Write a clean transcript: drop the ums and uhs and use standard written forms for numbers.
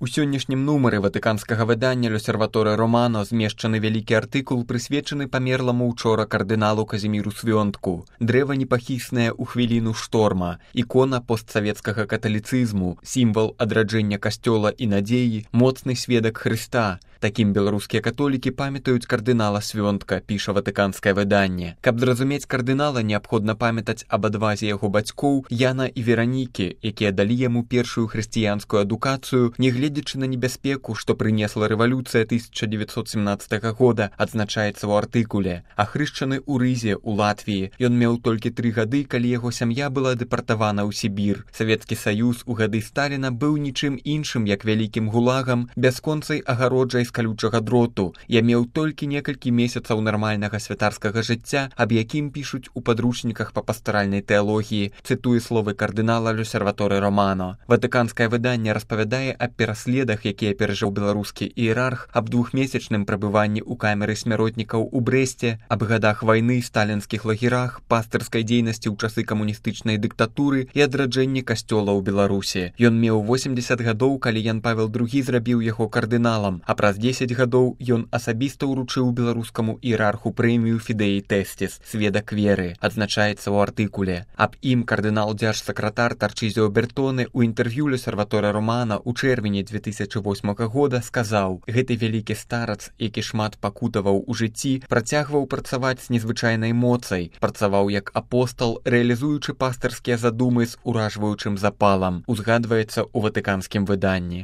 У сённяшнім нумары ватыканскага выдання «L'Osservatore Romano» змешчаны вялікі артыкул, прысвечаны памерламу учора кардыналу Казіміру Свёнтку. Дрэва непахіснае ў хвіліну шторма, ікона постсавецкага каталіцызму, сімвал адраджэння касцёла і надзеі, моцны сведак Хрыста. Такім беларускія католікі памятаюць кардынала Свёнтка, піша ватыканскае выданне. Каб зразумець кардынала, неабходна памятаць аб адвазе яго бацькоў Яна і Веранікі, якія далі яму першую хрысціянскую адукацыю, нягледзячы на небяспеку, што прынесла рэвалюцыя 1917 года, адзначаецца ў артыкуле. Ахрышчаны ў Рызе, у Латвіі. Ён меў толькі 3 гады, калі яго сям'я была дэпартавана ў Сібір. Савецкі Саюз у гады Сталіна быў нічым іншым, як вялікім гулагам, бясконцай агароджай з калючага дроту. Я меў толькі некалькі месяцаў нармальнага святарскага жыцця, аб якім пішуць у падручніках па пастаральнай тэалогіі, цытуе словы кардынала «L'Osservatore Romano». Ватыканскае выданне распавядае аб пераследах, якія перажыў беларускі іерарх, аб 2-месячным прабыванні ў камеры смяротнікаў у Брэсце, аб гадах вайны, сталінскіх лагерах, пастырскай дзейнасці ў часы камуністычнай дыктатуры і адраджэнні касцёла ў Беларусі. Ён меў 80 гадоў, калі Ян Павел II зрабіў яго кардыналам, а праз 10 гадоў ён асабіста ўручыў беларускаму іерарху прэмію «Фідеі Тэсціс» сведак веры, адзначаецца ў артыкуле. Аб ім кардынал-дзяржсакратар Тарчызіо Бертоне ў інтэрв'ю «L'Osservatore Romano» у чэрвені 2008 года сказаў: «Гэты вялікі старац, які шмат пакутаваў у жыцці, працягваў працаваць з незвычайнай моцай, працаваў як апостал, рэалізуючы пастырскія задумы з уражваючым запалам», узгадваецца ў ватыканскім выданні.